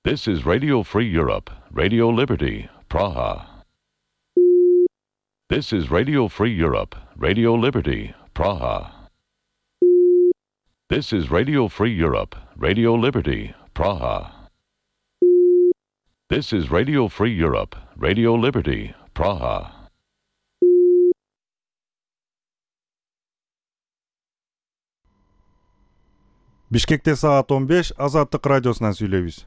This is Radio Free Europe, Radio Liberty, Praha. This is Radio Free Europe, Radio Liberty, Praha. This is Radio Free Europe, Radio Liberty, Praha. This is Radio Free Europe, Radio Liberty, Praha. Бишкекте саат 15, Азаттык радиосунан сүйлөйбүз.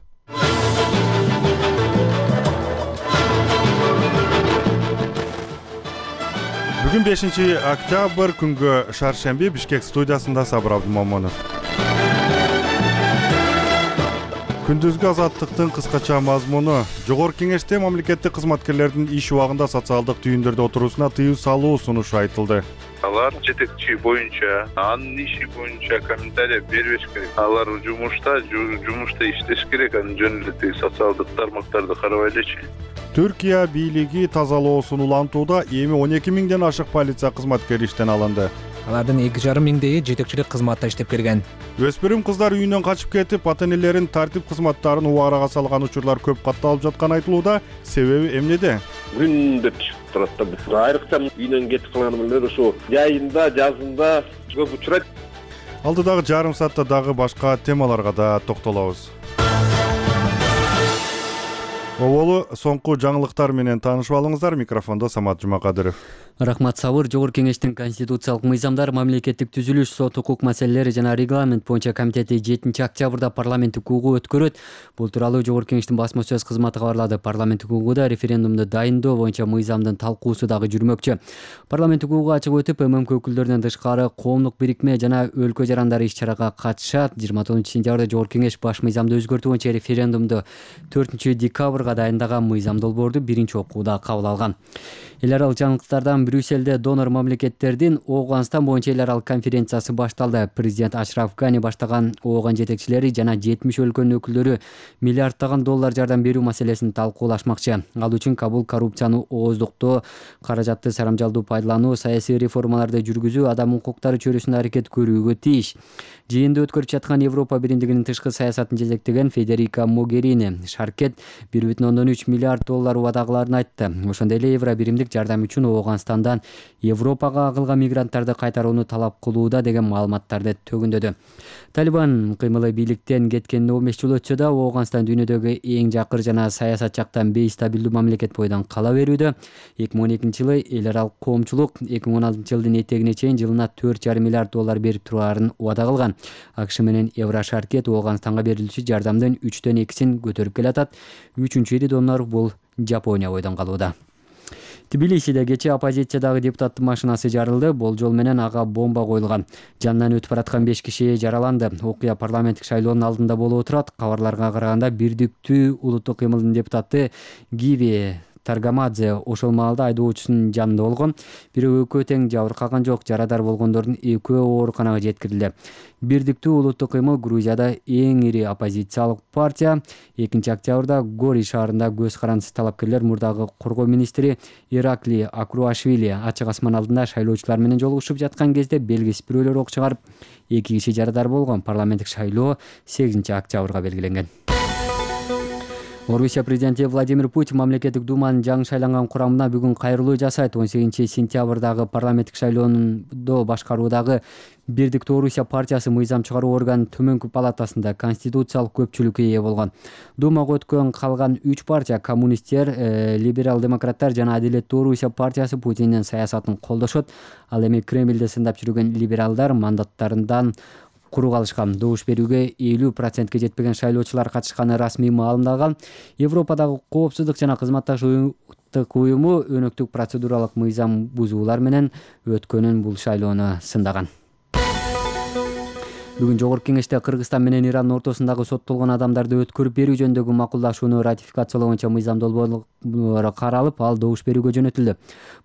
Бүгүн 5-октябрь күнгө шаршемби Бишкек студиясында Сабыр Абдумомонов. Күндүзгү Азаттыктын кыскача мазмуну: Жогорку Кеңеште мамлекеттик кызматкерлердин иш убагында социалдык түйүндөрдө отуруусуна тыюу салуу сунушу айтылды. Алар жетекчи боюнча, анын иши боюнча комментарий бербеш керек. Алар жумушта иштеш керек, анын жөн эле социалдык тармактарды карабай элечи. Түркия бийлиги тазалоосун улантууда эми 12 миңден ашык полиция кызматкери иштен алынды. Алардын 2,5 миңдеги жетекчилик кызматта иштеп келген. Өспүрүм кыздар үйүнөн качып кетип, ата-энелерин тартип кызматтарын убарага салган учурлар көп катталып жатканы айтылууда. Себеби эмнеде? Күндө чыгып турат да. Айрыкча үйүнөн кетип калган эле ошо жайында, жазында көп учурайт. Алдыдагы жарым саатта дагы башка темаларга да токтолобуз. Оболу соңку жаңылыктар менен таанышып алыңыздар. Микрофондо Самат Жумакадыров. Рахмат Сабыр. Жогорку Кеңештин конституциялык мыйзамдар, мамлекеттик түзүлүш, сот укук маселелери жана регламент боюнча комитети 7-октябрда парламенттик угуу өткөрөт. Бул тууралуу Жогорку Кеңештин басма сөз кызматы кабарлады. Парламенттик угууда референдумду дайындоо боюнча мыйзамдын талкуусу дагы жүрмөкчү. Парламенттик угууга ачык өтүп, ММК өкүлдөрүнөн тышкары коомдук бирикме жана өлкө жарандары иш-чарага катышат. 29-сентябрда Жогорку Кеңеш баш мыйзамды өзгөртүү боюнча референдумду 4-декабрга дайындаган мыйзам долбоорду биринчи окууда кабыл алган. Эл аралык жаңылыктардан Брюсселде донор мамлекеттердин Ооганстан боюнча эл аралык конференциясы башталды. Президент Ашраф Гани баштаган Ооган жетекчилери жана 70 өлкөнүн өкүлдөрү миллиарддаган доллар жардам берүү маселесин талкуулашмакчы. Ал үчүн Кабул коррупцияны ооздуктоо, каражатты сарамжалдуу пайдалануу, саясий реформаларды жүргүзүү, адам укуктары чөйрөсүндө аракет көрүүгө тийиш. Жыйынды өткөрүп жаткан Европа биримдигинин тышкы саясатын жетектеген Федерика Могерини шаркет 1,3 миллиард доллар убадагыларын айтты. Ошондой эле евро биримдик жардам үчүн Ооганстандан Европага агылган мигранттарды кайтарууну талап кылууда деген маалыматтарды төгүндөдү. Талибан кыймылы бийликтен кеткенине 15 жыл өтсө да, Ооганстан дүйнөдөгү эң жакыр жана саясат жактан бейстабилдүү мамлекет бойдон кала берүүдө. 2012 жылы эл аралык коомчулук 2016 жылдын этегине чейин жылына 4,5 миллиард доллар берип тураарын убада кылган. АКШ менен Еврошаркет Ооганстанга берилүүчү жардамдын 3/2 көтөрүп келатат. 3-ири донор бул Жапония бойдон калууда. Тбилисиде кечээ оппозициядагы депутаттын машинасы жарылды. Болжол менен ага бомба коюлган. Жанынан өтүп бараткан 5 киши жараланды. Окуя парламенттик шайлоонун алдында болуп турат. Кабарларга караганда Бирдиктүү улуттук кыймылдын депутаты Гиви Таргамадзе ошол маалда айдоочусунун жанында болгон. Бирөө экөө тең жабыркаган жок. Жарадар болгондордун экөө ооруканага жеткирилди. Бирдиктүү улуттук кыймыл Грузияда эң ири оппозициялык партия. 2-октябрда Гори шаарында көз карандысыз талапкерлер мурдагы коргоо министри Иракли Акруашвили ачык асман алдында шайлоочулар менен жолугушуп жаткан кезде белгисиз бирөөлөр ок чыгарып, 2 киши жарадар болгон. Парламенттик шайлоо 8-октябрга белгиленген. Орусия президенти Владимир Путин мамлекеттик думанын жаңы шайланган курамына бүгүн кайрылуу жасайт. 18-сентябрдагы парламенттик шайлоондо башкаруудагы Бирдиктүү Орусия партиясы мыйзам чыгаруу органынын төмөнкү палатасында конституциялык көпчүлүккө ээ болгон. Думага өткөн калган 3 партия — коммунисттер, либерал-демократтар жана Адилеттүү Орусия партиясы Путиндин саясатын колдошот. Ал эми Кремльде сындап жүргөн либералдар мандаттарынан куру калышкан. Добуш берүүгө 50% жетпеген шайлоочулар катышканы расмий маалымдалган. Европадагы коопсуздук жана кызматташуулук уюму өнөктүк процедуралык мыйзам бузуулар менен өткөнүн бул шайлоону сындаган. Бүгүн Жогорку Кеңеште Кыргызстан менен Ирандын ортосундагы соттолгон адамдарды өткөрүп берүү жөнүндөгү макулдашууну ратификациялоо боюнча мыйзам долбоору каралып, ал добуш берүүгө жөнөтүлдү.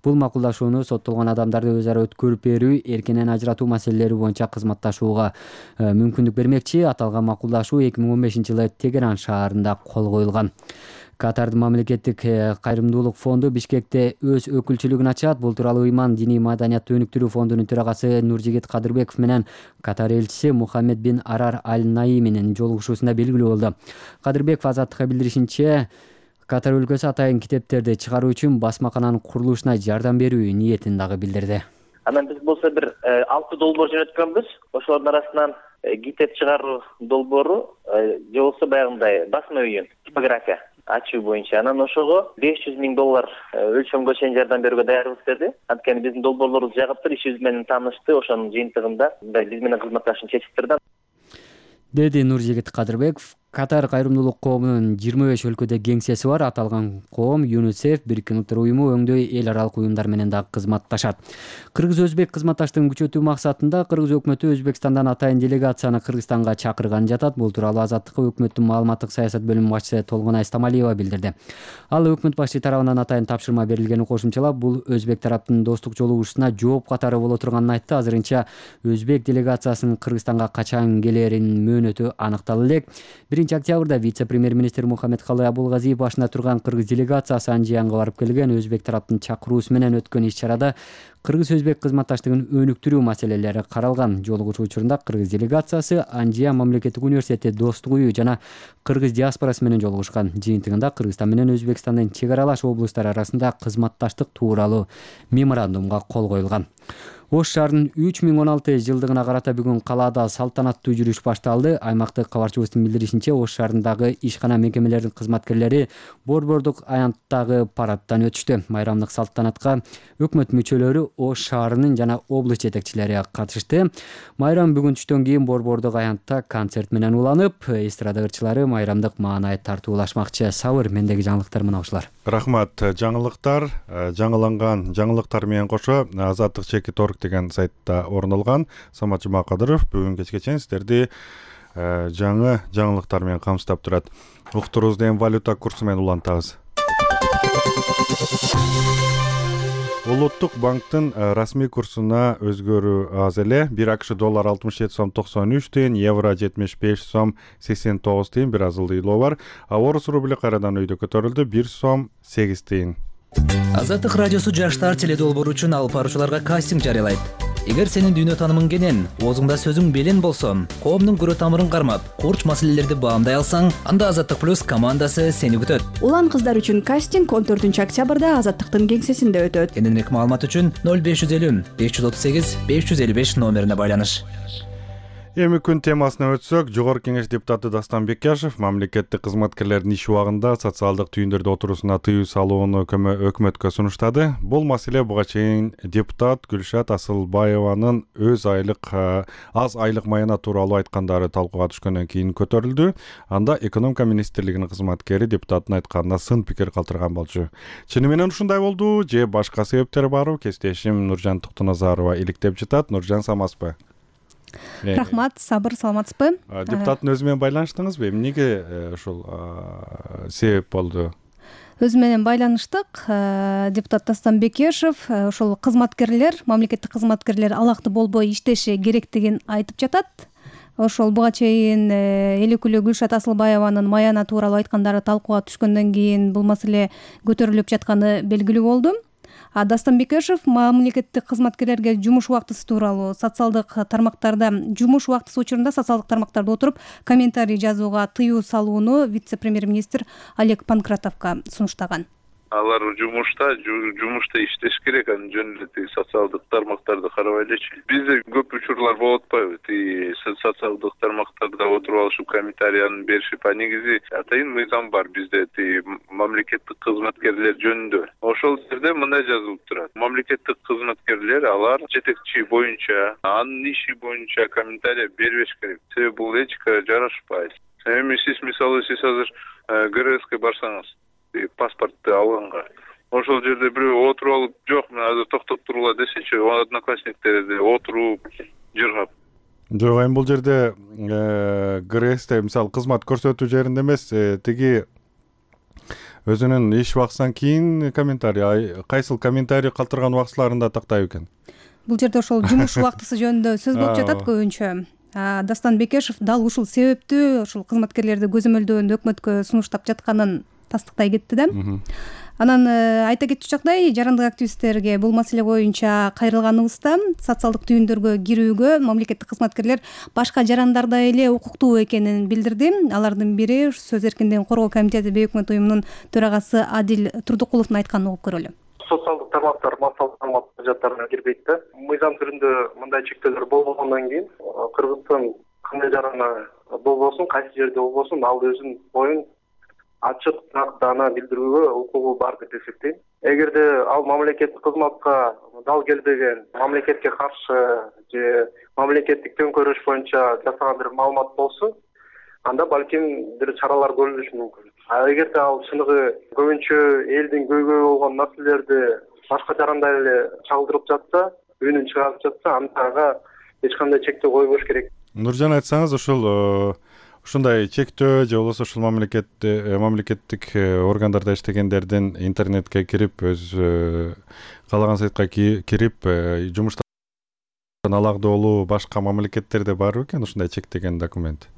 Бул макулдашууну соттолгон адамдарды өз ара өткөрүп берүү, эркинен ажыратуу маселелери боюнча кызматташууга мүмкүндүк бермекчи. Аталган макулдашуу 2015 жылы Тегеран шаарында кол коюлган. Катардын мамлекеттик кайрымдуулук фонду Бишкекте өз өкүлчүлүгүн ачат. Бул тууралуу Ыйман диний маданиятты өнүктүрүү фондунун төрагасы Нуржигит Кадырбеков менен Катар элчиси Мухаммед бин Арар Аль-Наименин жолугушуусунда белгилүү болду. Кадырбеков Азаттыкка билдиришинче, Катар өлкөсү атайын китептерди чыгаруу үчүн басмакананын курулушуна жардам берүү ниетин дагы билдирди. Анан биз болсо бир 6 долбоор жөнөткөнбүз. Ошолордун арасынан китеп чыгаруу долбоору же болбосо баягындай басма үйүн типография ачуу боюнча. Анан ошого $500,000 өлчөмгө чейин жардам берүүгө даярбыз деди. Анткени биздин долбоорлорубуз жагыптыр, ишибиз менен таанышты. Ошонун жыйынтыгында биз менен кызматташууну чечиптирди, деди Нуржигит Кадырбеков. Катар кайрымдуулук коомунун 25 өлкөдө кеңсеси бар. Аталган коом ЮНИСЕФ, Бириккен Улуттар уюму өңдөй эл аралык уюмдар менен дагы кызматташат. Кыргыз-өзбек кызматташтыгын күчөтүү максатында Кыргыз өкмөтү Өзбекстандан атайын делегацияны Кыргызстанга чакырган жатат. Бул тууралуу Азаттыкка өкмөттүн маалыматтык саясат бөлүмүнүн башчысы Толгонай Стамалиева билдирди. Ал өкмөт башчы тарабынан атайын тапшырма берилгенин кошумчалап, бул өзбек тараптын достук жолугушуусуна жооп катары боло турганын айтты. Азырынча өзбек делегациясынын Кыргызстанга качан келеринин мөөнөтү аныкталы элек. 1-октябрда вице-премьер-министр Мухаммедкалый Абулгазиев башына турган Кыргыз делегациясы Анжиянга барып келген. Өзбек тараптын чакыруусу менен өткөн иш-чарада Кыргыз-өзбек кызматташтыгын өнүктүрүү маселелери каралган. Жолугушуу учурунда Кыргыз делегациясы Анжия мамлекеттик университети, Достук үйү жана Кыргыз диаспорасы менен жолугушкан. Жыйынтыгында Кыргызстан менен Өзбекстандын чек аралаш облустары арасында кызматташтык тууралуу меморандумга кол коюлган. Ош шаарынын 3016 жылдыгына карата бүгүн калаада салтанаттуу жүрүш башталды. Аймактык кабарчыбыздын билдиришинче, Ош шаарындагы ишкана мекемелеринин кызматкерлери борбордук аянттагы парадтан өтүштү. Майрамдык салтанатка өкмөт мүчөлөрү, Ош шаарынын жана облус жетекчилери катышты. Майрам бүгүн түштөн кийин борбордук аянтта концерт менен уланып, эстрада ырчылары майрамдык маанай тартуулашмакчы. Сабыр, мендеги жаңылыктар мына ушулар. Рахмат. Жаңылыктар, жаңыланган жаңылыктар менен кошо Азаттык Чекит.org деген сайтта орун алган. Самат Жумакадыров бүгүн кечке чейин сиздерди жаңы жаңылыктар менен камсыздап турат. Уктуруубузду эми валюта курсу менен улантабыз. Улуттук банктын расмий курсуна өзгөрүү аз эле. 1 АКШ доллар 67,93 тыйын, евро 75,89 тыйын, бир аз ылдыйлоо бар. А орус рубли кайрадан өйдө көтөрүлдү, 1,8 тыйын. Азаттык радиосу жаштар теледолбоору үчүн алып баруучуларга кастинг жарыялайт. Эгер сенин дүйнө таанымың кенен, оозуңда сөзүң белен болсо, коомдун көрө тамырын кармап, курч маселелерди баамдай алсаң, анда Азаттык плюс командасы сени күтөт. Улан кыздар үчүн кастинг 14-октябрда Азаттыктын кеңсесинде өтөт. Кененирээк маалымат үчүн 0550 538 555 номерине байланыш. Эми күн темасына өтсөк, Жогорку Кеңеш депутаты Дастан Бекяшев мамлекеттик кызматкерлердин иш убагында социалдык түйүндөрдө отуруусуна тыюу салууну өкмөткө сунуштады. Бул маселе буга чейин депутат Гүлшат Асылбаеванын аз айлык майына тууралуу айткандары талкууга түшкөндөн кийин көтөрүлдү. Анда экономика министрлигинин кызматкери депутаттын айтканына сын пикир калтырган болчу. Чыны менен ушундай болду же башка себептер барбы? Кесиптешим Нуржан Токтоназарова иликтеп жатат. Нуржан, самасызбы? Рахмат, Сабыр, саламатсызбы? Депутаттын өзү менен байланыштыңызбы? Эмнеге ушул себеп болду? Өзү менен байланыштык. Депутат Дастан Бекешев ошол кызматкерлер, мамлекеттик кызматкерлер алакты болбой иштеши керектигин айтып жатат. Ошол буга чейин эл өкүлү Гүлшат Асылбаеванын маяна тууралуу айткандары талкууга түшкөндөн кийин бул маселе көтөрүлүп жатканы белгилүү болду. Дастан Бекешев мамлекеттик кызматкерлерге жумуш убактысы тууралуу социалдык тармактарда жумуш убактысы учурунда социалдык тармактарда отуруп комментарий жазууга тыюу салууну вице-премьер-министр Олег Панкратовго сунуштаган. Алар жумушта иштеш керек, анын жөнүндө социалдык тармактарды карабай элечи. Бизде көп учурлар болуп атпайбы? Социалдык тармактарда отуруп алышып комментарийни беришип, негизи атайын мыйзам бар бизде мамлекеттик кызматкерлер жөнүндө. Ошол жерде мындай жазылып турат. Мамлекеттик кызматкерлер алар жетекчи боюнча, анын иши боюнча комментарий бербеш керек. Себеби бул этикага жарашпайт. Эми сиз азыр ГРСке барсаңыз, паспортты алганга, ошол жерде бирөө отуруп алып, жок, мен азыр токтоп тургула десечи, одноклассниктерди отуруп жыргап. Жок, эми бул жерде ГРСте мисалы кызмат көрсөтүү жеринде эмес, тиги өзүнүн иш убактысынан кийин комментарий, кайсыл комментарий калтырган убактыларында тактайбы экен? Бул жерде ошол жумуш убактысы жөнүндө сөз болуп жатат көбүнчө. Дастан Бекешев дал ушул себептүү ушул кызматкерлерди көзөмөлдөөнү өкмөткө сунуштап жатканын тастыктай кетти да. Анан айта кетчү жагдай, жарандык активисттерге бул маселе боюнча кайрылганыбызда социалдык түйүндөргө кирүүгө мамлекеттик кызматкерлер башка жарандардай эле укуктуу экенин билдирди. Алардын бири Сөз эркиндигин коргоо комитети бейөкмөт уюмунун төрагасы Адил Турдукуловдун айтканын угуп көрөлү. Социалдык тармактар массалык маалымат каражаттарына кирбейт да. Мыйзам түрүндө мындай чектөөлөр болбогондон кийин Кыргызстан кандай жарана болбосун, кайсы жерде болбосун, ал өзүнүн оюн ачык даана билдирүүгө укугу бар деп эсептейм. Эгерде ал мамлекеттик кызматка дал келбеген, мамлекетке каршы же мамлекеттик төңкөрүш боюнча жасаган бир маалымат болсо, анда балким бир чаралар көрүлүшү мүмкүн. Эгерде ал чыныгы көбүнчө элдин көйгөйү болгон маселелерди башка жарандай эле чагылдырып жатса, үнүн чыгарып жатса, андага эч кандай чектөө койбош керек. Нуржан, айтсаңыз, ушундай чектөө же болбосо ушул мамлекеттик органдарда иштегендердин интернетке кирип, өз каалаган сайтка кирип жумуштан алагдоолуу башка мамлекеттерде барбы экен ушундай чектеген документ?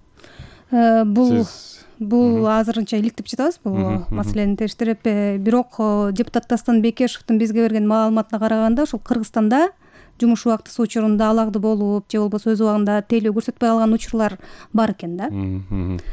Бул азырынча иликтеп жатабыз бул маселени териштирип. Бирок депутат Дастан Бекешевдин бизге берген маалыматына караганда, ушул Кыргызстанда жумуш убактысы учурунда алагды болуп же болбосо өз убагында тейлөө көрсөтпөй калган учурлар бар экен да.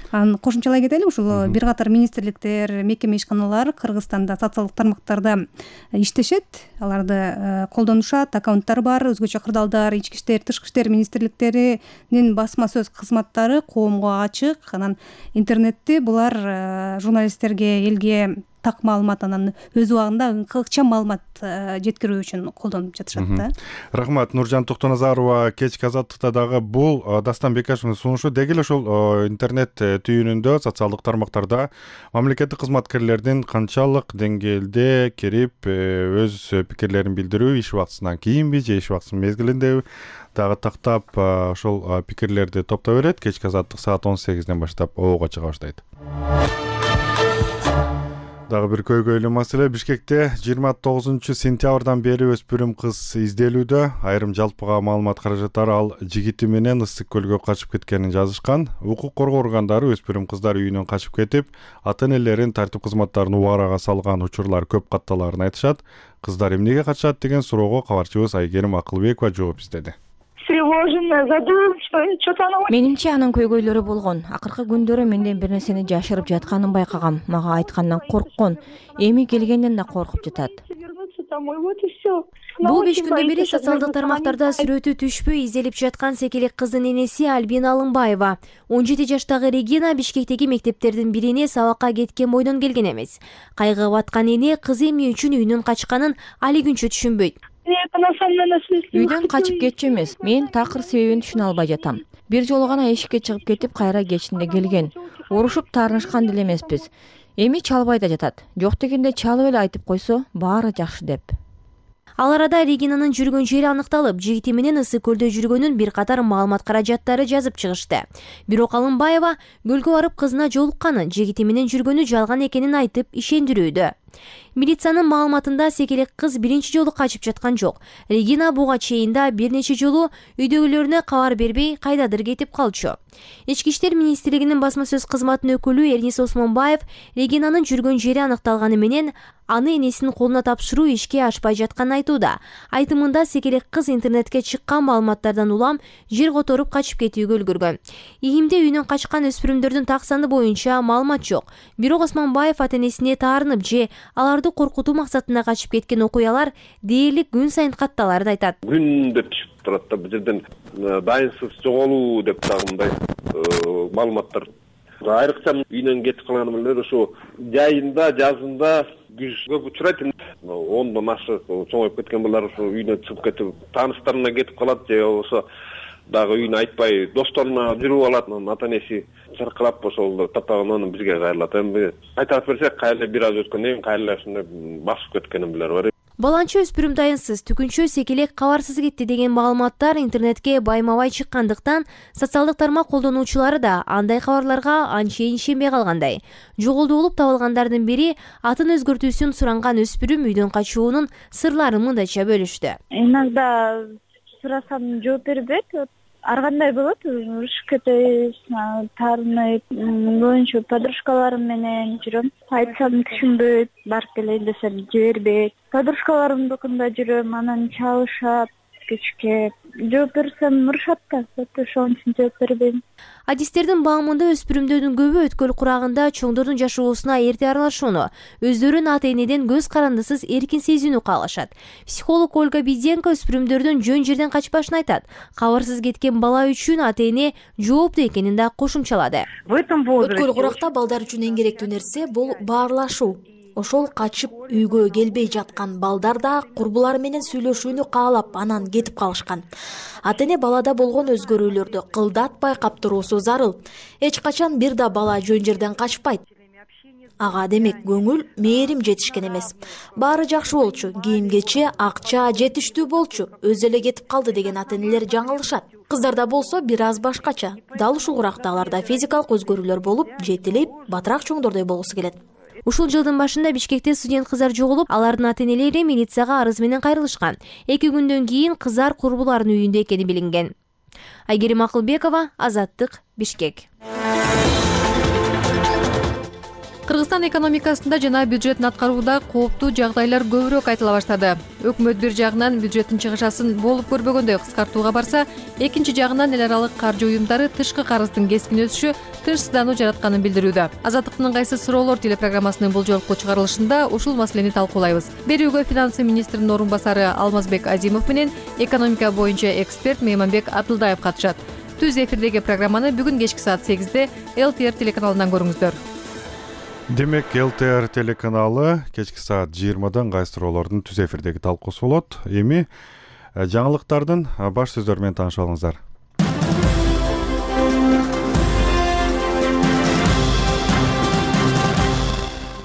Анан кошумчалай кетели, ушул бир катар министрликтер, мекеме ишканалар Кыргызстанда социалдык тармактарда иштешет, аларды колдонушат, аккаунттары бар, өзгөчө кырдаалдар, ички иштер, тышкы иштер министрликтеринин басма сөз кызматтары коомго ачык. Анан интернетти булар журналисттерге, элге так маалымат, анан өз убагында ыкчам маалымат жеткирүү үчүн колдонуп жатышат да. Рахмат. Нуржан Токтоназарова кечки азаттыкта дагы бул Дастан Бекешевдин сунушу деги эле ушул интернет түйүнүндө, социалдык тармактарда мамлекеттик кызматкерлердин канчалык деңгээлде кирип өз пикирлерин билдирүү, иш убактысынан кийинби же иш убактысынын мезгилиндеби дагы тактап ошол пикирлерди топтой берет. Кечки азаттык саат 18ден баштап оого чыга баштайт. Дагы бир көйгөйлүү маселе. Бишкекте 29-сентябрдан бери өспүрүм кыз изделүүдө. Айрым жалпыга маалымат каражаттары ал жигити менен Ысык көлгө качып кеткенин жазышкан. Укук коргоо органдары өспүрүм кыздар үйүнөн качып кетип, ата-энелерин тартип кызматтарын убарага салган учурлар көп катталарын айтышат. Кыздар эмнеге качат деген суроого кабарчыбыз Айгерим Акылбекова жооп издеди. Менимче анын көйгөйлөрү болгон. Акыркы күндөрү менден бир нерсени жашырып жатканын байкагам. Мага айткандан корккон. Эми келгенден да коркуп жатат. Бул 5 күндөн бери социалдык тармактарда сүрөтү түшпөй изделип жаткан секелек кыздын энеси Альбина Алымбаева. 17 жаштагы Регина Бишкектеги мектептердин бирине сабакка кеткен бойдон келген эмес. Кайгыга баткан эне кызы эмне үчүн үйүнөн качканын али күнчө түшүнбөйт. Үйдөн качып кетчү эмес. Мен такыр себебин түшүнө албай жатам. Бир жолу гана эшикке чыгып кетип, кайра кечинде келген. Урушуп таарынышкан деле эмеспиз. Эми чалбай да жатат. Жок дегенде чалып эле айтып койсо, баары жакшы деп. Ал арада Регинанын жүргөн жери аныкталып, жигити менен Ысык көлдө жүргөнүн бир катар маалымат каражаттары жазып чыгышты. Бирок Алымбаева көлгө барып кызына жолукканын, жигити менен жүргөнү жалган экенин айтып ишендирүүдө. Милициянын маалыматында секелек кыз биринчи жолу качып жаткан жок. Регина буга чейин да бир нече жолу үйдөгүлөрүнө кабар бербей кайдадыр кетип калчу. Ички иштер министрлигинин басма сөз кызматынын өкүлү Эрнис Осмонбаев Регинанын жүргөн жери аныкталганы менен аны энесинин колуна тапшыруу ишке ашпай жатканын айтууда. Айтымында секелек кыз интернетке чыккан маалыматтардан улам жер которуп качып кетүүгө үлгүргөн. ИИМде үйүнөн качкан өспүрүмдөрдүн так саны боюнча маалымат жок. Бирок Осмонбаев ата-энесине таарынып же аларды коркутуу максатында качып кеткен окуялар дээрлик күн сайын катталарын айтат. Күндө түшүп турат да, бул жерден дайынсыз жоголуу деп дагы мындай маалыматтар. Айрыкча үйүнөн кетип калган эле ошо жайында, жазында көп учурайт. 10дон ашык чоңоюп кеткен балдар ошо үйүнөн чыгып кетип, тааныштарына кетип калат же болбосо дагы үйүнө айтпай досторуна жүрүп алат. Ата-энеси чыркырап ошол таптаган бизге кайрылат. Эми айтып берсек, кайра бир аз өткөндөн кийин кайра ушундай басып кеткенин билер бар. Баланчы өспүрүм дайынсыз, түкүнчө секелек кабарсыз кетти деген маалыматтар интернетке байма-бай чыккандыктан, социалдык тармак колдонуучулары да андай кабарларга анчейин ишенбей калгандай. Жоголду болуп табылгандардын бири атын өзгөртүүсүн суранган өспүрүм үйдөн качуунун сырларын мындайча бөлүштү. Иногда сурасам жооп бербейт. ар кандай болот, урушуп кетебиз, таарынып, көбүнчө подружкаларым менен жүрөм. Айтсам түшүнбөйт, барып келейин десем жибербейт. Подружкаларымдыкында жүрөм, анан чалышат, кечке жооп берсем урушат да, ошон үчүн жооп бербейм. Адистердин баамында өспүрүмдөрдүн көбү өткөл курагында чоңдордун жашоосуна эрте аралашууну, өздөрүн ата-энеден көз карандысыз эркин сезүүнү каалашат. Психолог Ольга Биденко өспүрүмдөрдүн жөн жерден качпашын айтат. Кабарсыз кеткен бала үчүн ата-эне жооптуу экенин да кошумчалады. Өткөл куракта балдар үчүн эң керектүү нерсе бул баарлашуу. Ошол качып үйгө келбей жаткан балдар да курбулары менен сүйлөшүүнү каалап, анан кетип калышкан. Ата-эне балада болгон өзгөрүүлөрдү кылдат байкап туруусу зарыл. Эч качан бир да бала жөн жерден качпайт. Ага демек көңүл, мээрим жетишкен эмес. Баары жакшы болчу, кийим-кече, акча жетиштүү болчу, өзү эле кетип калды деген ата-энелер жаңылышат. Кыздарда болсо бир аз башкача. Дал ушул куракта аларда физикалык өзгөрүүлөр болуп, жетилип, батыраак чоңдордой болгусу келет. Ушул жылдын башында Бишкекте студент кыздар жоголуп, алардын ата-энелери милицияга арыз менен кайрылышкан. 2 күндөн кийин кыздар курбуларынын үйүндө экени билинген. Айгерим Акылбекова, Азаттык, Бишкек. Кыргызстан экономикасында жана бюджеттин аткарууда кооптуу жагдайлар көбүрөөк айтыла баштады. Өкмөт бир жагынан бюджеттин чыгышасын болуп көрбөгөндөй кыскартууга барса, экинчи жагынан эл аралык каржы уюмдары тышкы карыздын кескин өсүшү тынчсыздануу жаратканын билдирүүдө. Азаттыктын кайсы суроолор телепрограммасынын бул жолку чыгарылышында ушул маселени талкуулайбыз. Берүүгө финансы министринин орун басары Алмазбек Азимов менен экономика боюнча эксперт Мейманбек Абдылдаев катышат. Түз эфирдеги программаны бүгүн кечки саат 8-де ЛТР телеканалынан көрүңүздөр. Демек, ЛТР телеканалы кечки саат 20-дан кайсы суроолордун түз эфирдеги талкуусу болот. Эми жаңылыктардын баш сөздөрү менен таанышып алыңыздар.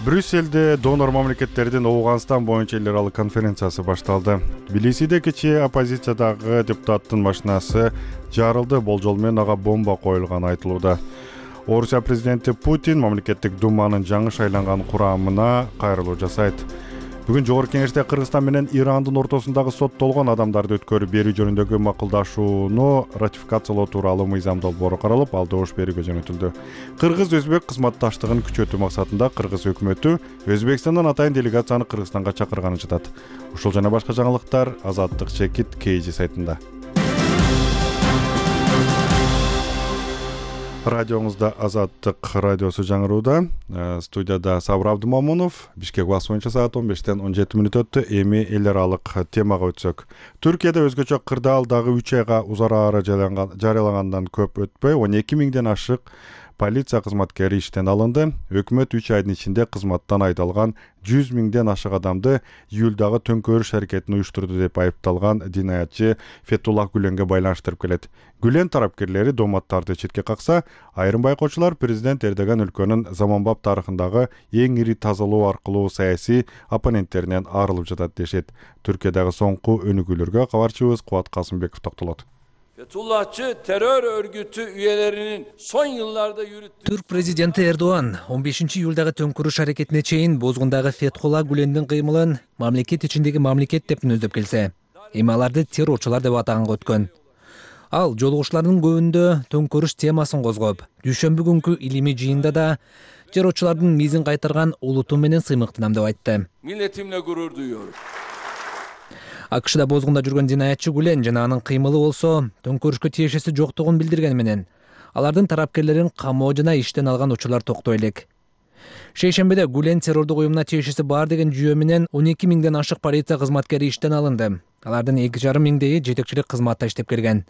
Брюсселде донор мамлекеттердин Ооганстан боюнча эл аралык конференциясы башталды. Тбилисиде кечээ оппозициядагы депутаттын машинасы жарылды, болжол менен ага бомба коюлганы айтылууда. Орусия президенти Путин мамлекеттик думанын жаңы шайланган курамына кайрылуу жасайт. Бүгүн Жогорку Кеңеште Кыргызстан менен Ирандын ортосундагы соттолгон адамдарды өткөрүп берүү жөнүндөгү макулдашууну ратификациялоо тууралуу мыйзам долбоору каралып, ал добуш берүүгө жөнөтүлдү. Кыргыз-өзбек кызматташтыгын күчөтүү максатында Кыргыз өкмөтү Өзбекстандан атайын делегацияны Кыргызстанга чакырганын жатат. Ушул жана башка жаңылыктар Азаттык Чекит KG сайтында. Радиоңузда Азаттык радиосу жаңырууда. Студияда Сабыр Абдымамунов. Бишкек убакыты боюнча саат 15-тен 17 мүнөт өттү. Эми эл аралык темага өтсөк. Түркияда өзгөчө кырдаал дагы 3 айга узарары жарыялагандан көп өтпөй 12 миңден ашык полиция кызматкери иштен алынды. Өкмөт 3 айдын ичинде кызматтан айдалган 100 миңден ашык адамды июлдагы төңкөрүш аракетин уюштурду деп айыпталган динаятчы Фетуллах Гүленге байланыштырып келет. Гүлен тарапкерлери доматтарды четке какса, айрым байкоочулар президент Эрдоган өлкөнүн заманбап тарыхындагы эң ири тазалоо аркылуу саясий оппоненттеринен арылып жатат дешет. Түркиядагы соңку өнүгүүлөргө кабарчыбыз Кубат Касымбеков токтолот. Fethullahçı terör örgütü üyelerinin son yıllarda yürüttüğü... Türk президенти Эрдоган 15 июлдагы төңкүрүш аракетине чейин бозгундагы Фетхулла Гүлендин кыймылын мамлекет ичиндеги мамлекет деп мүнөздөп келсе, эми аларды террорчулар деп атаганга өткөн. Ал жолугушуулардын көбүндө төңкүрүш темасын козгоп, дүйшөмбү күнкү илимий жыйында да террорчулардын мизин кайтарган улутум менен сыймыктанам деп айтты. Milletimle gurur duyuyorum. АКШда бозгунда жүргөн динаятчы Гүлен жана анын кыймылы болсо төңкөрүшкө тиешеси жоктугун билдирген менен алардын тарапкерлерин камоо жана иштен алган учурлар токтой элек. Шейшембиде Гүлен террордук уюмуна тиешеси бар деген жүйө менен 12 миңден ашык полиция кызматкери иштен алынды. Алардын 2,5 миңдеги жетекчилик кызматта иштеп келген.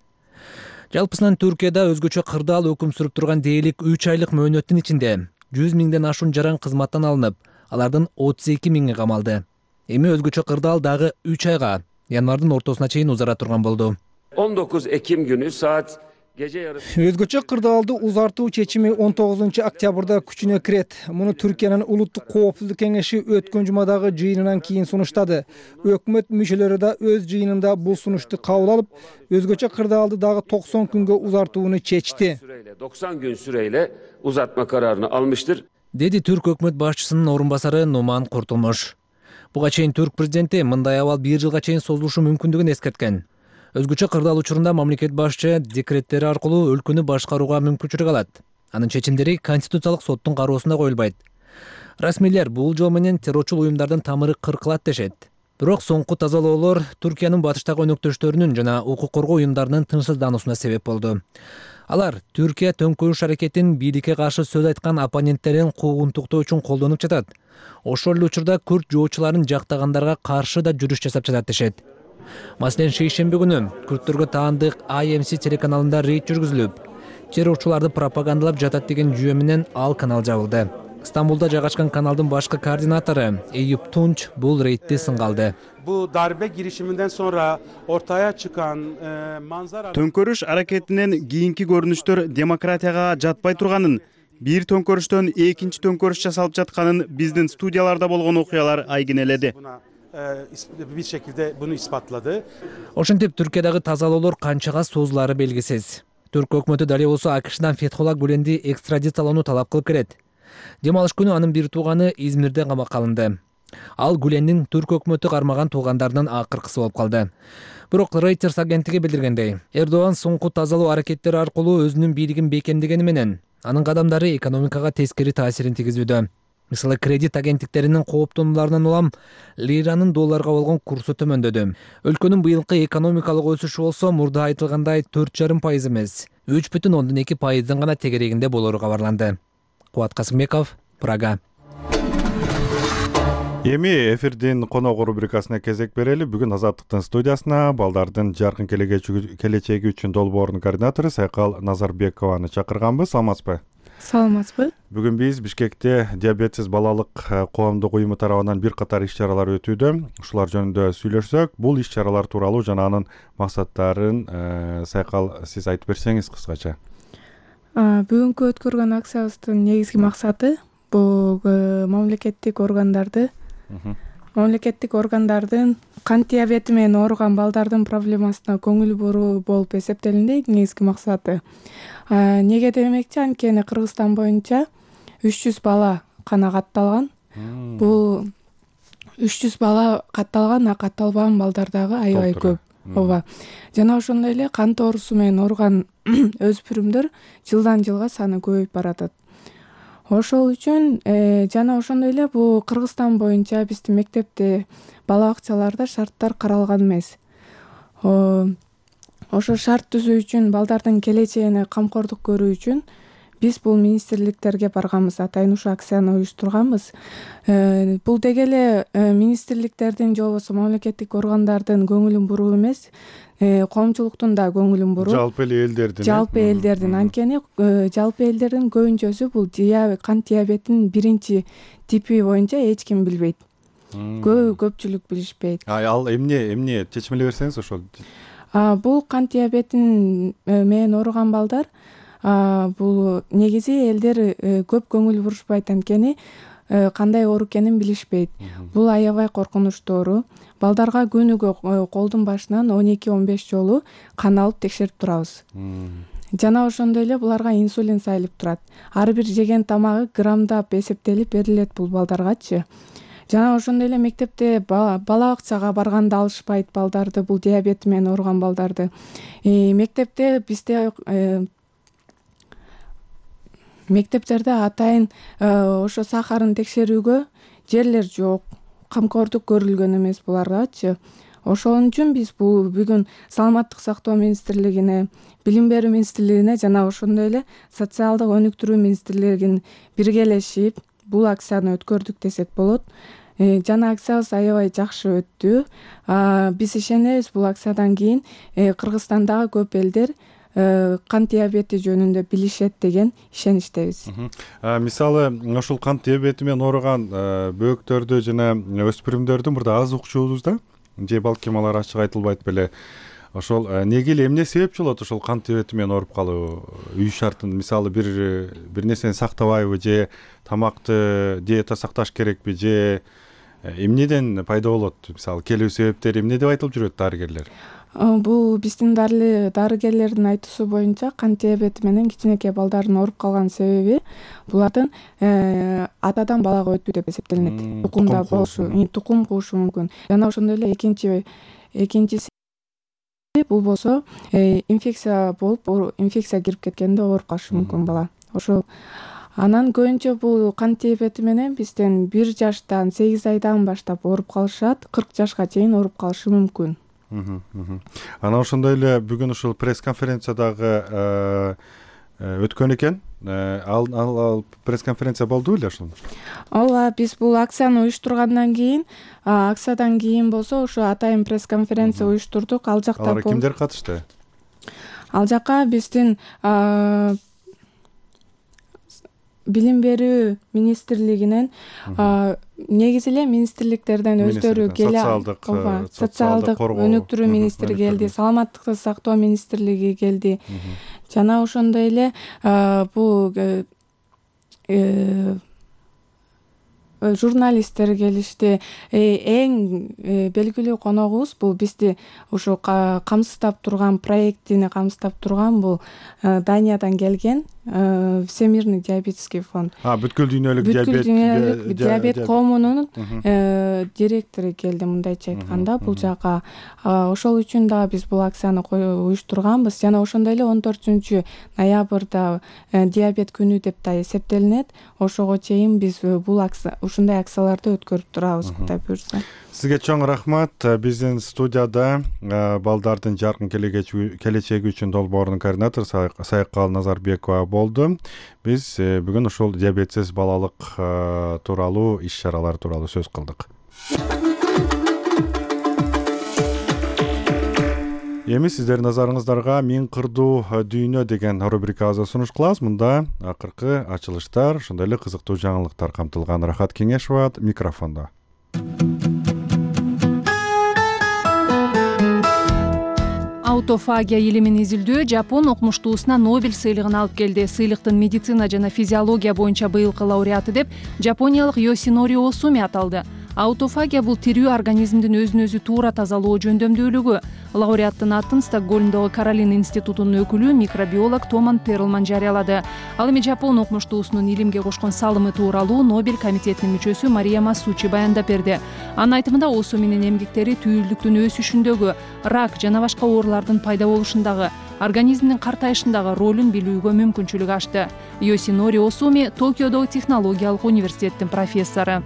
Жалпысынан Түркияда өзгөчө кырдаал өкүм сүрүп турган дээрлик 3 айлык мөөнөттүн ичинде 100 миңден ашуун жаран кызматтан алынып, алардын 32 миңи камалды. Эми өзгөчө кырдаал дагы 3 айга, январдын ортосуна чейин узара турган болду. 19 Ekim günü saat gece yarısı... Өзгөчө кырдаалды узартуу чечими 19 октябрда күчүнө кирет. Муну Түркиянын улуттук коопсуздук кеңеши өткөн жумадагы жыйынынан кийин сунуштады. Өкмөт мүчөлөрү да өз жыйынында бул сунушту кабыл алып, өзгөчө кырдаалды дагы 90 күнгө узартууну чечти. 90 gün süreyle uzatma kararını almıştır. Деди Түрк өкмөт башчысынын орун басары Нуман Куртулмуш. Буга чейин Түрк президенти мындай абал 1 жылга чейин созулушу мүмкүндүгүн эскерткен. Өзгөчө кырдаал учурунда мамлекет башчы декреттери аркылуу өлкөнү башкарууга мүмкүнчүлүк алат. Анын чечимдери Конституциялык соттун кароосунда коюлбайт. Расмийлер бул жол менен террорчул уюмдардын тамыры кыркылат дешет. Бирок соңку тазалоолор Түркиянын батыштагы өнөктөштөрүнүн жана укук коргоо уюмдарынын тынчсыздануусуна себеп болду. Алар Түркия төңкөрүш аракетин бийликке каршы сөз айткан оппоненттерин куугунтуктоо үчүн колдонуп жатат. Ошол эле учурда күрд жоочуларын жактагандарга каршы да жүрүш жасап жатат дешет. Маселен, шейшемби күнү күрдтөргө таандык IMC телеканалында рейд жүргүзүлүп, террорчуларды пропагандалап жатат деген жүйө менен ал канал жабылды. Стамбулда жайгашкан каналдын башкы координатору Eyüp Tunç бул рейдти сынга алды. Bu darbe girişiminden sonra ortaya çıkan manzara... Төңкөрүш аракетинен кийинки көрүнүштөр демократияга жатпай турганын, бир төңкөрүштөн экинчи төңкөрүш жасалып жатканын биздин студияларда болгон окуялар айгинеледи. Bir şekilde bunu ispatladı. Ошентип Түркиядагы тазалоолор канчага созулаары белгисиз. Түрк өкмөтү дале болсо АКШдан Фетхулла Гүленди экстрадициялоону талап кылып келет. Дем алыш күнү анын бир тууганы Измирде камакка алынды. Ал Гүлендин түрк өкмөтү кармаган туугандарынан акыркысы болуп калды. Бирок Reuters агенттиги билдиргендей, Эрдоган соңку тазалоо аракеттери аркылуу өзүнүн бийлигин бекемдегени менен анын кадамдары экономикага тескери таасирин тийгизүүдө. Мисалы, кредит агенттиктеринин кооптонууларынан улам лиранын долларга болгон курсу төмөндөдү. Өлкөнүн быйылкы экономикалык өсүшү болсо мурда айтылгандай 4,5% эмес, 3,2% гана тегерегинде болору кабарланды. Кубат Касымбеков, Прага. Эми эфирдин конок рубрикасына кезек берели. Бүгүн Азаттыктын студиясына балдардын жаркын келечеги үчүн долбоорунун координатору Сайкал Назарбекованы чакырганбыз. Саламатсызбы? Саламатсызбы? Бүгүн биз Бишкекте диабетсиз балалык коомдук уюму тарабынан бир катар иш-чаралар өтүүдө. Ушулар жөнүндө сүйлөшсөк, бул иш-чаралар тууралуу жана анын максаттарын Сайкал сиз айтып берсеңиз кыскача. Бүгүнкү өткөргөн акциябыздын негизги максаты бул мамлекеттик органдардын кант диабети менен ооруган балдардын проблемасына көңүл буруу болуп эсептелинди. Негизги максаты. Неге демекчи, анткени Кыргызстан боюнча 300 бала канагатталган. Бул 300 бала катталган, катталбаган балдар дагы аябай көп. Ооба. Жана ошондой эле кант оорусу менен ооруган өспүрүмдөр жылдан жылга саны көбөйүп баратат. Ошол үчүн жана ошондой эле бул Кыргызстан боюнча биздин мектепте бала бакчаларда шарттар каралган эмес. Ошо шарт түзүү үчүн, балдардын келечегине камкордук көрүү үчүн биз бул министрликтерге барганбыз, атайын ушу акцияны уюштурганбыз. Бул деги эле министрликтердин же болбосо мамлекеттик органдардын көңүлүн буруу эмес, коомчулуктун да көңүлүн буруу. Жалпы элдердин. Анткени жалпы элдердин көбүнчөсү бул кант диабетинин биринчи типи боюнча эч ким билбейт. Көпчүлүк билишпейт. Ал эмне чечмелей берсеңиз ошол. Бул кант диабетин менен ооруган балдар, бул негизи элдер көп көңүл бурушпайт, анткени кандай оору экенин билишпейт. Бул аябай коркунучтуу оору. Балдарга күнүгө колдун башынан 12-15 жолу кан алып текшерип турабыз. Жана ошондой эле буларга инсулин сайылып турат. Ар бир жеген тамагы граммдап эсептелип берилет бул балдаргачы. Жана ошондой эле мектепте бала бакчага барганда алышпайт балдарды, бул диабет менен ооруган балдарды. Мектепте бизде мектептерде атайын ошо сахарын текшерүүгө жерлер жок, камкордук көрүлгөн эмес буларгачы. Ошол үчүн биз бүгүн Саламаттык сактоо министрлигине, Билим берүү министрлигине жана ошондой эле Социалдык өнүктүрүү министрлигине биргелешип бул акцияны өткөрдүк десек болот. Жана акциябыз аябай жакшы өттү. Биз ишенебиз, бул акциядан кийин Кыргызстандагы көп элдер кант диабети жөнүндө билишет деген ишеничтебиз. Мисалы, ошол кант диабети менен ооруган бөөктөрдү жана өспүрүмдөрдү мурда аз укчубуз да, же балким алар ачык айтылбайт беле. Ошол неге эле эмне себепчи болот ошол кант диабети менен ооруп калуу? Үй шартын, мисалы, бир нерсени сактабайбы, же тамакты диета сакташ керекпи, же эмнеден пайда болот? Мисалы, келүү себептери эмне деп айтылып жүрөт дарыгерлер? Бул биздин дарыгерлердин айтуусу боюнча кант диабети менен кичинекей балдардын ооруп калган себеби булардын атадан балага өтүү деп эсептелинет. Тукум куушу мүмкүн. Жана ошондой эле экинчи бул болсо инфекция болуп инфекция кирип кеткенде ооруп калышы мүмкүн бала. Ошол анан көбүнчө бул кант диабети менен бизден 1 жаштан 8 айдан баштап ооруп калышат, 40 жашка чейин ооруп калышы мүмкүн. Анан ошондой эле бүгүн ушул пресс-конференциядагы өткөн экен. Ал пресс-конференция болду беле ошол? Ооба, биз бул акцияны уюштургандан кийин, акциядан кийин болсо ошо атайын пресс-конференция уюштурдук. Ал жакта алар кимдер катышты? Ал жакка биздин билим берүү министрлигинен негизи эле министрликтерден өздөрү келе социалдык өнүктүрүү министри келди, саламаттыкты сактоо министрлиги келди. Жана ошондой эле бул журналисттер келишти. Эң белгилүү коногубуз бул бизди ушу камсыздап турган проектини камсыздап турган бул Даниядан келген Всемирный диабетический фонд. Бүткүл дүйнөлүк диабет коомунун директору келди, мындайча айтканда. Бул жака ошол үчүн да биз бул акцияны уюштурганбыз. Жана ошондой эле 14 ноябрда диабет күнү деп да эсептелинет. Ошого чейин биз бул ушундай акцияларды өткөрүп турабыз, Кудай буйрса. Сизге чоң рахмат. Биздин студияда балдардын жаркын келечеги үчүн долбоорунун координатору Сайкал Назарбекова болду. Биз бүгүн ушул диабетсиз балалык тууралуу иш-чаралар тууралуу сөз кылдык. Эми сиздердин назарыңыздарга Миң кырдуу дүйнө деген рубрикабызды сунуш кылабыз. Мында акыркы ачылыштар, ошондой эле кызыктуу жаңылыктар камтылган. Рахат Кеңешова микрофондо. Аутофагия илимин изилдөө Жапон окумуштуусуна Нобель сыйлыгын алып келди. Сыйлыктын медицина жана физиология боюнча быйылкы лауреаты деп жапониялык Йосинори Осуми аталды. Аутофагия бул тирүү организмдин өзүн өзү туура тазалоо жөндөмдүүлүгү. Лауреаттын атын Стокгольмдогу Каролина институтунун өкүлү микробиолог Томан Перлман жарыялады. Ал эми Жапон окумуштуусунун илимге кошкон салымы тууралуу Нобель комитетинин мүчөсү Мария Масучи баяндап берди. Анын айтымында Осуминин эмгектери түйүлдүктүн өсүшүндөгү, рак жана башка оорулардын пайда болушундагы, организмдин картайышындагы ролун билүүгө мүмкүнчүлүк ачты. Йосинори Осуми Токиодогу технологиялык университеттин профессору.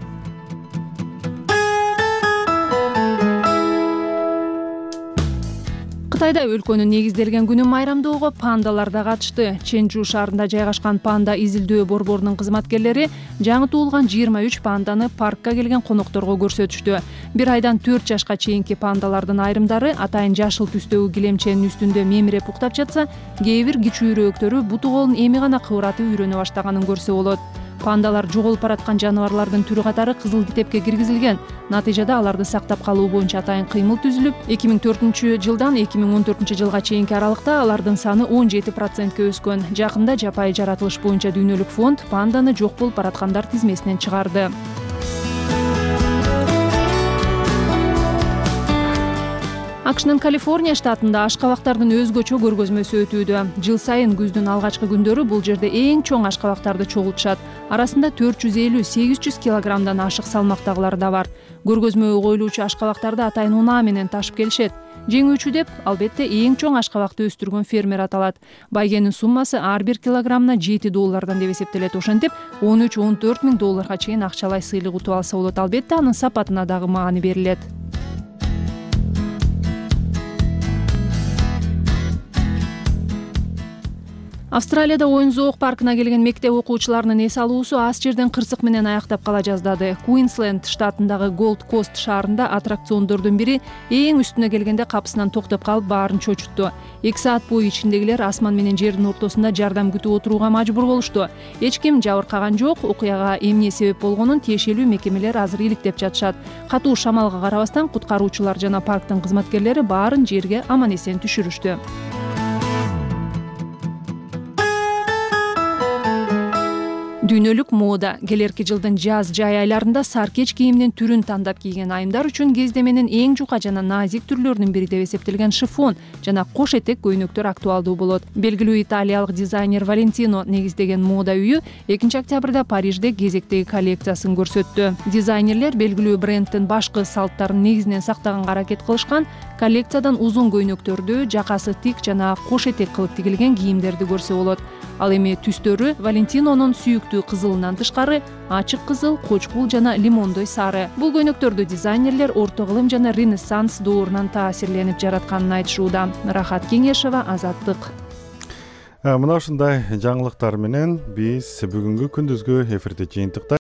Кытайда өлкөнүн негизделген күнүн майрамдоого пандалар да катышты. Ченжу шаарында жайгашкан панда изилдөө борборунун кызматкерлери жаңы туулган 23 панданы паркка келген конокторго көрсөтүштү. 1 айдан 4 жашка чейинки пандалардын айрымдары атайын жашыл түстөгү килемченин үстүндө мемирип уктап жатса, кээ бир кичүүрөөктөрү буту колун эми гана кыбыратып үйрөнө баштаганын көрсө болот. Пандалар жоголуп бараткан жаныбарлардын түрү катары кызыл китепке киргизилген. Натыйжада аларды сактап калуу боюнча атайын кыймыл түзүлүп, 2004 жылдан 2014 жылга чейинки аралыкта алардын саны 17%ке өскөн. Жакында жапайы жаратылыш боюнча дүйнөлүк фонд панданы жок болуп бараткандар тизмесинен чыгарды. АКШнын Калифорния штатында ашкабактардын өзгөчө көргөзмөсү өтүүдө. Жыл сайын күздүн алгачкы күндөрү бул жерде эң чоң ашкабактарды чогултушат. Арасында 450-800 килограммдан ашык салмактагылары да бар. Көргөзмөгө коюлуучу ашкабактарды атайын унаа менен ташып келишет. Жеңүүчү деп албетте эң чоң ашкабакты өстүргөн фермер аталат. Байгенин суммасы ар бир килограммына $7 деп эсептелет. Ошентип 13-14 миң долларга чейин акчалай сыйлык утуп алса болот. Албетте анын сапатына дагы маани берилет. Австралияда оюн зоок паркына келген мектеп окуучуларынын эс алуусу аз жерден кырсык менен аяктап кала жаздады. Куинсленд штатындагы Голд Кост шаарында аттракциондордун бири эң үстүнө келгенде капысынан токтоп калып баарын чочутту. 2 саат бою ичиндегилер асман менен жердин ортосунда жардам күтүп отурууга мажбур болушту. Эч ким жабыркаган жок. Окуяга эмне себеп болгонун тиешелүү мекемелер азыр иликтеп жатышат. Катуу шамалга карабастан куткаруучулар жана парктын кызматкерлери баарын жерге аман эсен түшүрүштү. Дүйнөлүк мода келерки жылдын жаз жай айларында саркеч кийимдин түрүн тандап кийген айымдар үчүн кездеменин эң жука жана назик түрлөрүнүн бири деп эсептелген шифон жана кош этек көйнөктөр актуалдуу болот. Белгилүү италиялык дизайнер Валентино негиздеген мода үйү 2-октябрда Парижде кезектеги коллекциясын көрсөттү. Дизайнерлер белгилүү бренддин башкы салттарын негизинен сактаганга аракет кылышкан. Коллекциядан узун көйнөктөрдү, жакасы тик жана кош этек кылып тигилген кийимдерди көрсө болот. Ал эми түстөрү Валентинонун сүйүктүү кызылынан тышкары ачык кызыл, кочкул жана лимондой сары. Бул көйнөктөрдү дизайнерлер орто кылым жана Ренессанс доорунан таасирленип жаратканын айтышууда. Рахат Кеңешева, Азаттык. Мына ушундай жаңылыктар менен биз бүгүнкү күндүзгү эфирди жыйынтыктайбыз.